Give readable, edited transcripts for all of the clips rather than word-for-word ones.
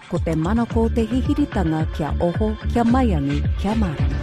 Ko te manako o te hihiritanga kia oho, kia maiangi, kia mārama.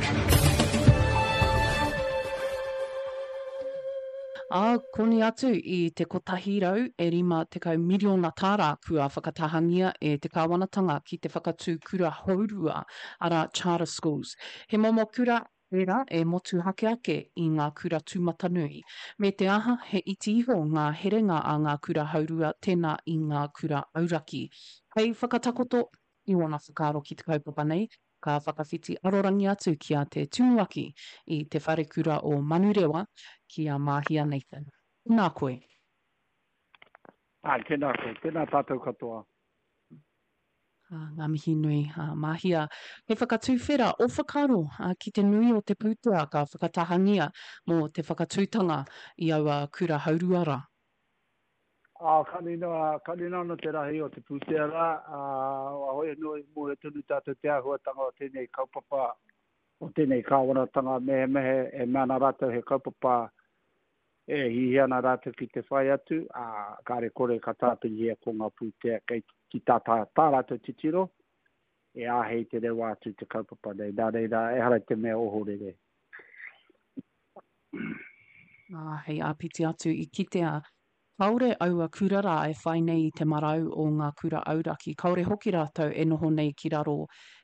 Ā, koni atu i te 150 miriona tāra kua whakatahangia e te kāwanatanga ki te whakatū kura hourua, arā, charter schools. He momo kura ērā e motuhake ake i ngā kura tūmatanui. Me te aha, he iti iho ngā herenga a ngā kura haurua tēnā i ngā kura auraki. Hei whakatakoto i ōna whakaaro ki te kaupapa nei, ka whakawhiti arorangi atu ki a te Tumuaki i Te Wharekura o Manurewa, ki a Māhia Nathan. Tēnā koe. Āe, tēnā koe. Tēnā tātou katoa. Ngā mihi nui, Mahia. He whakatuwhera o whakaaro ki te nui o te pūtea ka whakatahangia mō te whakatūtanga i aua kura haurua rā. Ā, ka nui, ka nui anō te rahi o te pūtea rā, ā, hoi anō i mōhio tonu tātou te āhuatanga o tēnei kaupapa, o tēnei kāwanatanga, mehemea e mea ana rātou he kaupapa E hiahia ana rātou ki te whai atu, ā, kāre kore ka tāpirihia ko ngā pūtea kei ki tā, tā, tā rātou titiro, e āhei te rewa atu te kaupapa nei. Nā reira, ehara i te mea ohorere. Ā, hei āpiti atu, i kitea Kāore aua kura rā e whai nei i te marau o ngā kura auraki, kāore hoki rātou e noho nei ki raro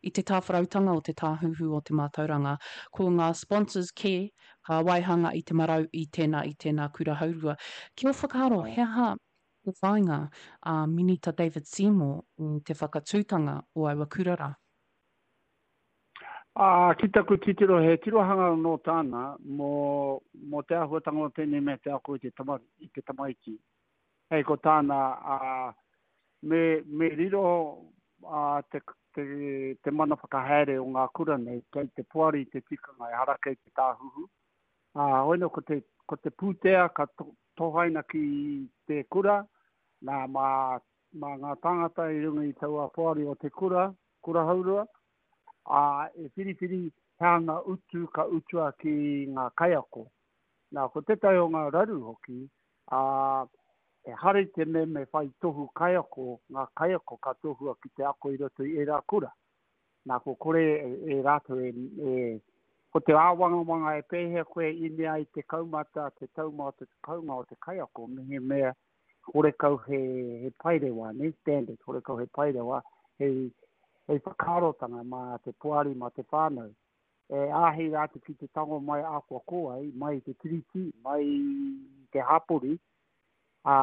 i te tāwharautanga o te Tāhuhu o te Mātauranga. Ko ngā sponsors kē ka waihanga i te marau i tēnā, i tēnā kura haurua. Ki ō whakaaro, he aha te whāinga a Minita David Seymour i te whakatūtanga o aua kura rā? Ā, ki taku titiro, he tirohanga anō tāna mō, mō te āhuatanga o tēnei mea te ako i te tama, i te tamaiti. Hei ko tāna, ā, me, me riro, ā, te, te, te mana whakahaere o ngā kura nei kei te poari te tikanga, ehara kei te tāhuhu. Ā, hoi nō, ko te, ko te pūtea ka to, tohaina ki te kura, nā, mā, mā ngā tāngata i runga i taua poari o te kura, kura haurua, ā, e whiriwhiri he aha ngā utu ka utua ki ngā kaiako. Nā, ko tētahi o ngā raru hoki, ā, ehara i te mea me whai tohu kaiako ngā kaiako ka tohua ki te ako i roto i ērā kura. Nā, ko kore e rātou e, e, ko te āwangawanga e pēhea koe inea ai te kaumata, te taumata, te kounga o te kaiako, mehemea horekau he, he paerewa, ne, standard, horekau he paerewa, hei, hei whakaarotanga mā te poari, mā te whānau. E āhei rātou ki te tango mai akoa ko ai, mai i te tiriti, mai i te hapori, ā,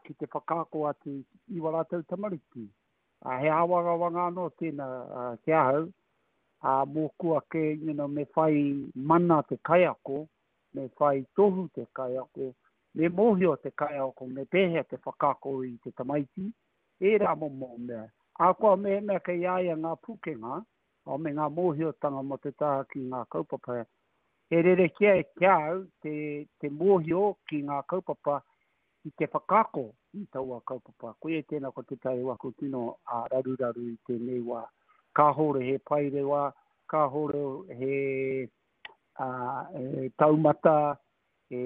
ki te whakaako atu i wā rātou tamariki. Ā, he āwangawanga anō tēnā ki ahau, ā, mōku ake, you know, me whai mana te kaiako, me whai tohu te kaiako, me mōhio te kaiako me pēhea te whakaako i te tamaiti, ērā momo mea. Ahakoa mehemea kei a ia ngā pūkenga me ngā mōhiotanga mō te taha ki ngā kaupapa, he rerekē ki a au te, te mōhio ki ngā kaupapa ki te whakaako i taua kaupapa. Koia tēnā ko tētahi o aku tino raruraru i tēnei wā. Kāhore he paerewa, kāhore he ā, e taumata e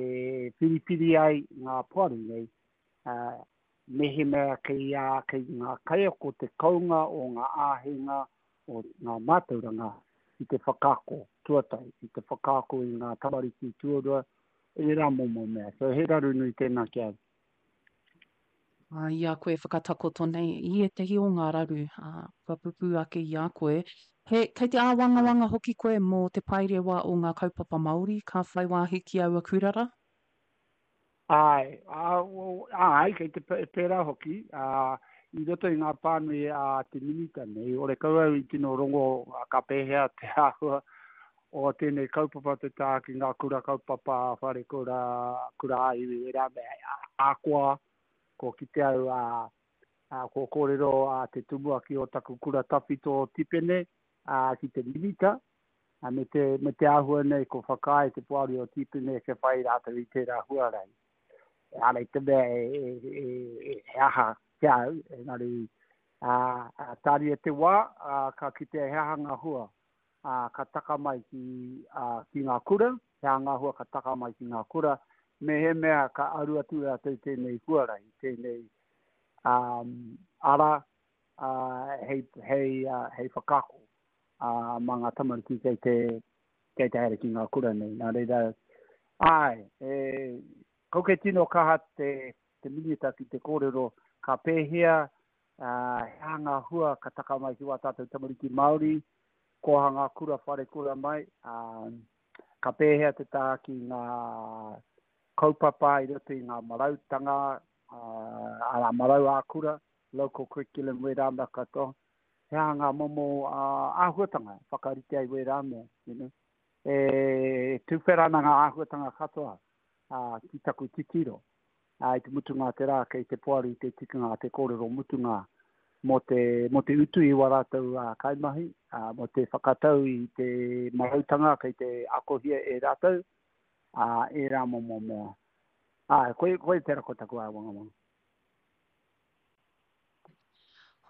whiriwhiri ai ngā poari nei, ā, mehemea kei a, kei ngā kaiako te kounga o ngā āheinga o ngā mātauranga ki te whakaako tuatahi, ki te whakaako i ngā tamariki tuarua, ērā momo mea. So he raru nui tēnā ki a au. Ā, i a koe e whakatakoto nei i ētahi o ngā raru, ā, kua pupū ake i a koe, he, kei te āwangawanga hoki koe mō te paerewa o ngā kaupapa Māori ka whai wāhi ki aua kura rā? Āe, ā, āe, kei te pērā hoki, ā, i roto i ngā pānui a te Minita nei, horekau au i tino rongo ka pēhea te āhua o tēnei kaupapa te taha ki ngā kura kaupapa, wharekura, kura ā-iwi, ērā mea, ahakoa ko kite au ā, ā, ko kōrero a te tumuaki o taku kura tawhito o Tipene, ā, ki te Minita, ā, me te, me te āhua nei ko whakaae te poari o Tipene kia whai rātou i tērā huarahi. Ehara i te mea e, e, e, e, he aha ki a au, engari, ā, ā, tāria te wā, ā, ka kitea he aha ngā hua ā, ka taka mai ki, ā, ki ngā kura, he aha ngā hua ka taka mai ki ngā kura, mehemea ka aru atu rātou i tēnei huarahi, tēnei, ā, ara, ā, hei, hei, hei whakaako, ā, mā ngā tamariki kei te, kei te haere ki ngā kura nei. Nā reira, āe, e, kau kei tino kaha te, te minita ki te kōrero ka pēhea, ā, he aha ngā hua ka taka mai ki wā tātou tamariki Māori, kōhanga kura, wharekura mai, ā, ka pēhea te taha ki ngā kaupapa i roto i ngā marautanga, ā, arā, marau ā-kura, local curriculum wērā mea katoa. He aha ngā momo āhuatanga e whakarite ai wērā mea, you know. E tuwhera ana ngā āhuatanga katoa ki taku titiro. I te mutunga o te rā kei te poari te tikanga te kōrero mutunga mō te, mō te utu i wā rātou kaimahi, mō te whakatau i te marautanga kei te akohia e rātou, ērā momo mea. Āe, koia, koia tērā ko taku āwangawanga.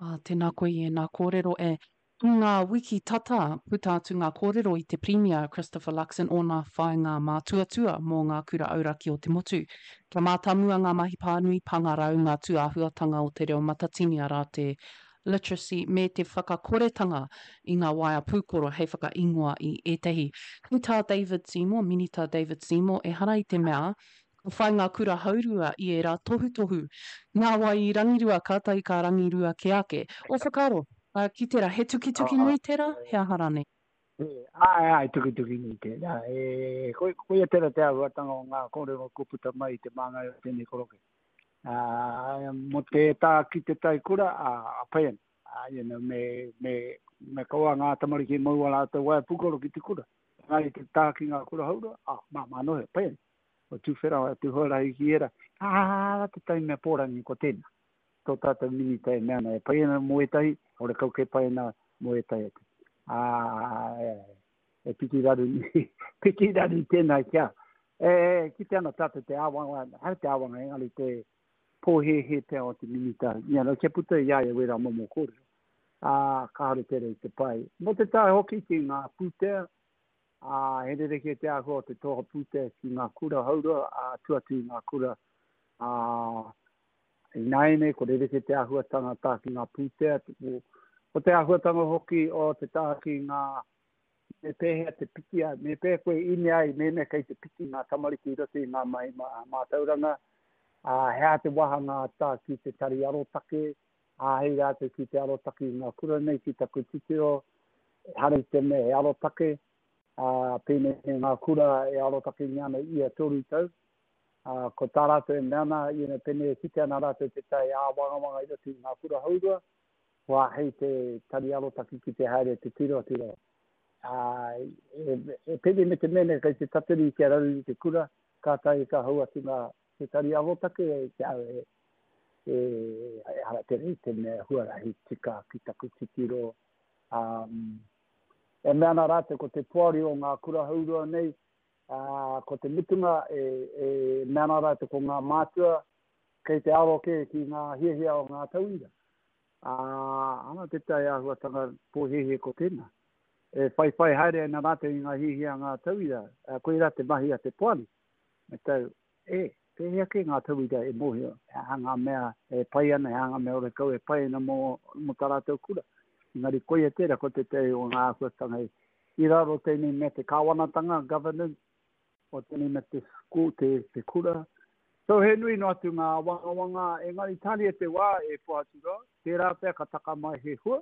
Ā, tēnā koe i ēnā kōrero e. I ngā wiki tata, puta atu ngā kōrero i te Pirimia Christopher Luxon ōna whāinga mātuatua mō ngā kura auraki o te motu. Kia mātāmua ngā mahi pānui, pāngarau, ngā tūāhuatanga o te reo matatini arā te literacy me te whakakoretanga i ngā waea pūkoro hei whakaingoa i ētahi. Hei tā David Seymour, Minita David Seymour, ehara i te mea Ka whai ngā kura haurua i ērā tohutohu. Nā wai i rangirua kātahi ka rangirua kē ake. Ō whakaaro, ki tērā, he tukituki nui tērā, he aha rānei? Āe, āe, tukituki nui tērā. E, koia tērā te āhuatanga o ngā kōrero kua puta mai i te māngai o tēnei koroke. Ā, mō te tā ki te tai kura, ā, pai ana. Ā, you know, me, me, me kaua ngā tamariki mau ā rātou waea pūkoro ki te kura. Engari te tā ki ngā kura haurua, ā, māmā noa, pai ana. Kua tuwhera atu huarahi ki ērā. Ā, te taimea pōrangi ko tēnā. Tō tātou minita e mea ana e pai ana mō ētahi, horekau kē pai ana mō ētahi atu. Ā, e piki raru, piki raru tēnā ki a. E, kite ana tātou te āwanga, hara te āwanga engari te pōhēhē pea o te minita, ia rau kia puta i a ia wērā momo kōrero. Ā, kāore tērā i te pai. Mō te tae hoki ki ngā pūtea, ā, he rerekē te āhua o te toha pūtea ki ngā kura haurua, ā, tua atu i ngā kura, ā, ināianei ko rerekē te āhuatanga tā ki ngā pūtea, ko te āhuatanga hoki o te tā ki ngā, me pēhea te piki ai, me pēhea koe ine ai mēnā kei te piki ngā tamariki i roto i ngā mahi mātauranga, ā, he aha te wāhanga tā ki te tari arotake, Āhei rātou ki te arotake i ngā kura nei ki taku titiro, ehara i te mea he arotake, ā, pēnei me ngā kura e arotakengia ana ia toru tau. Ā, ko tā rātou e mea ana, you know, pēnei e kite ana rātou tētahi āwangawanga i roto i ngā kura haurua, kua āhei te tari arotake ki te haere te tirotiro. Ā, e, e pēnei me te mea nei kei te tatari kia raru i te kura, kātahi ka hau atu ngā, te tari arotake e te au e, e, ehara tēnei i te mea huarahi tika ki taku titiro. Um, e mea ana rātou ko te poari o ngā kura haurua nei, uh, ko te mutunga e, e mea ana rātou ko ngā mātua kei te aro kē ki ngā hiahia o ngā tauira. Ā, ana tētahi āhuatanga pōhēhē ko tēnā. E whaiwhai haere ana rātou i ngā hiahia a ngā tauira, koirā te mahi a te poari. Me tau, e, pēhea kē ngā tauira e mōhio, he aha ngā mea e pai ana, he aha ngā mea horekau e pai ana mō, mō tā rātou kura. Engari koia tērā, ko tētahi o ngā āhuatanga i raro tēnei mea te kāwanatanga, governance, o tēnei mea te school, te, te kura. So he nui noa atu ngā āwangawanga, engari tāria te wā e Pohaturoa, tērā pea ka taka mai he hua,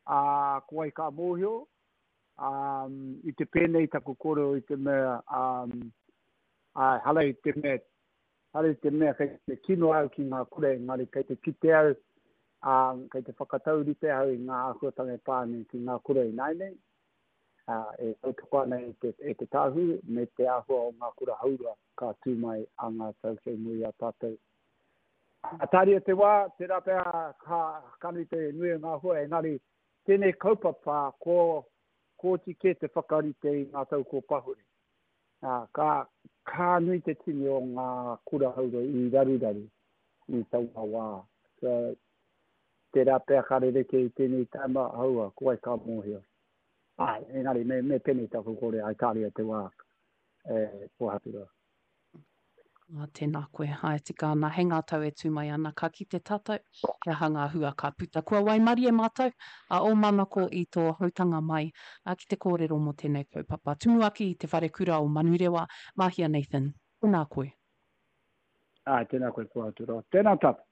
ā, ko wai ka mōhio, ā, i te pēnei taku kōrero i te mea, ā, āe, hara i te mea, hara i te mea kei te kino au ki ngā kura, engari kei te kite au, ā, kei te whakataurite au i ngā āhuatanga e pā ana ki ngā kura ināianei, ā, e tautoko ana e te, e te Tāhū me te āhua o ngā kura haurua ka tū mai a ngā tau kei muri i a tātou. Ā, tāria te wā, tērā pea ka, ka nui te nui o ngā hua, engari Tēnei kaupapa ko kōti kē te whakarite i ngā tau kō pahure. Ā, ka, ka nui te tini o ngā kura haurua i raruraru i taua wā. So, tērā pea ka rerekē i tēnei taima, aua, ko wai ka mōhio. Āe, engari me, me pēnei taku kore, ai tāria te wā, e, Pōhaturoa. Ā, tēnā koe. Āe, tika ana, hei ngā tau e tū mai ana, ka kite tātou he aha ngā hua ka puta. Kua waimarie mātou, a ō manako i tō hautanga mai ki te kōrero mō tēnei kaupapa. Tumuaki i Te Wharekura o Manurewa, Mahia Nathan, tēnā koe. Āe, tēnā koe Puātura. Tēnā tātou.